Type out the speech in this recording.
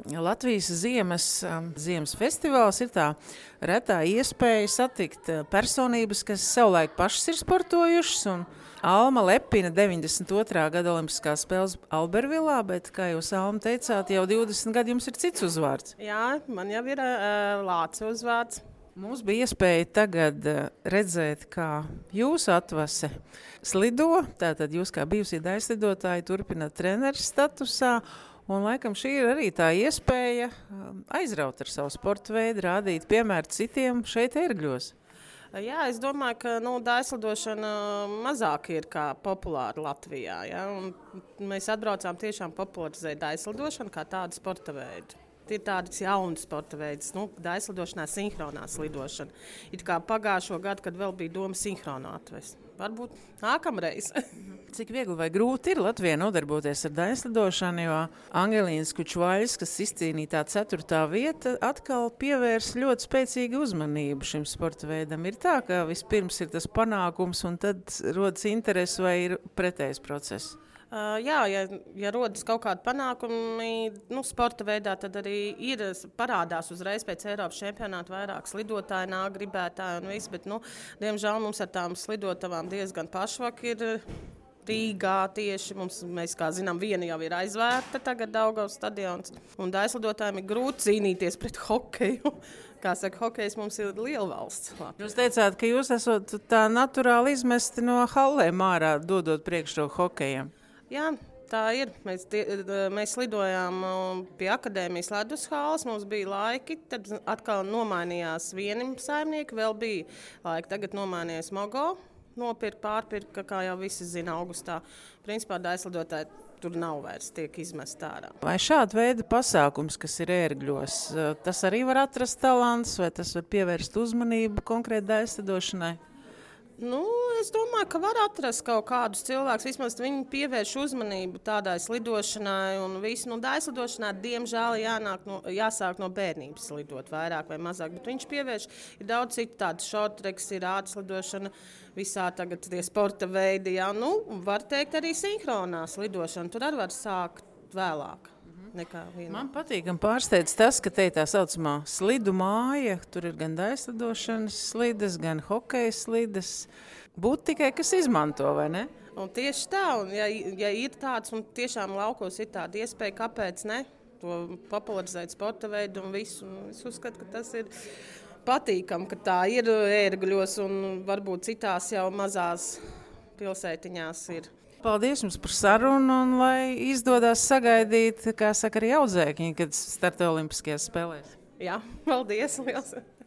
Latvijas ziemas festivāls ir tā retā iespēja satikt personības, kas savulaik pašas ir sportojušas, un Alma lepina 92. gada olimpiskās spēles Albervilā, bet, kā jūs, Alma, teicāt, jau 20 gadi jums ir cits uzvārds. Jā, man jau ir Lācis uzvārds. Mums bija iespēja tagad redzēt, kā jūsu atvase slido, tātad jūs kā bijusī daļslidotāji turpināt treneris statusā, un laikam šī ir arī tā iespēja aizraut ar savu sporta veidu, rādīt piemēru citiem šeit Ērgļos. Jā, es domāju, ka daļslidošana mazāk ir kā populāra Latvijā. Ja? Mēs atbraucām tiešām popularizēt daļslidošanu kā tādu sporta veidu. Ir tāds jauns sporta veids, daļslidošanā sinhronā slidošana. It kā pagājušo gadu, kad vēl bija doma sinhronā atvest. Varbūt nākamreiz. Cik viegli vai grūti ir Latvijā nodarboties ar daļslidošanu, jo Angelīnas Kučvaļs, kas izcīnīja tā 4. vieta, atkal pievērs ļoti spēcīgu uzmanību šim sporta veidam. Ir tā, ka vispirms ir tas panākums un tad rodas interesi vai ir pretējs process? Jā, ja rodas kaut kādi panākumi sporta veidā, tad arī parādās uzreiz pēc Eiropas čempionāta vairāk slidotāji, nāk gribētāji un viss, bet, diemžēl mums ar tām slidotavām diezgan pašvak ir Rīgā tieši. Mēs, kā zinām, viena jau ir aizvērta tagad Daugavas stadions, un daļslidotājiem ir grūti cīnīties pret hokeju. Kā saka, hokejs mums ir liela valsts. Jūs teicāt, ka jūs esat tā naturāli izmesti no hallēm ārā, dodot priekšroku hokejam. Jā, tā ir. Mēs lidojām pie akadēmijas ledus halles, mums bija laiki, tad atkal nomainījās vienam saimnieki, vēl bija laiki, tagad nomainījās Mogo, pārpirka, kā jau visi zina, augustā. Principā daļslidotāji tur nav vairs, tiek izmest ārā. Vai šāda veida pasākums, kas ir Ērgļos, tas arī var atrast talants, vai tas var pievērst uzmanību konkrēti daļslidošanai? Es domāju, ka var atrast kaut kādus cilvēkus. Vismaz viņi pievērš uzmanību tādai slidošanai un visu. Daļslidošanā, diemžēl, jāsāk no bērnības slidot vairāk vai mazāk. Bet viņš pievērš, ir daudz citu tādu šortreks, ir ātrslidošana, visā tagad tie sporta veidi. Jā, var teikt arī sinhronā slidošana. Tur arī var sākt vēlāk. Man patīk un pārsteidz tas, ka te ir tā saucamā slidu māja. Tur ir gan daļslidošanas slides, gan hokeja slides. Būtu tikai, kas izmanto, vai ne? Un tieši tā, un ja ir tāds, un tiešām laukos ir tāda iespēja, kāpēc ne? To popularizēt sporta veidu un visu. Un es uzskatu, ka tas ir patīkam, ka tā ir Ērgļos un varbūt citās jau mazās pilsētiņās ir. Paldies jums par sarunu un lai izdodas sagaidīt, kā saka, arī audzēkņi, kad starta olimpiskajās spēlēs. Jā, paldies liels!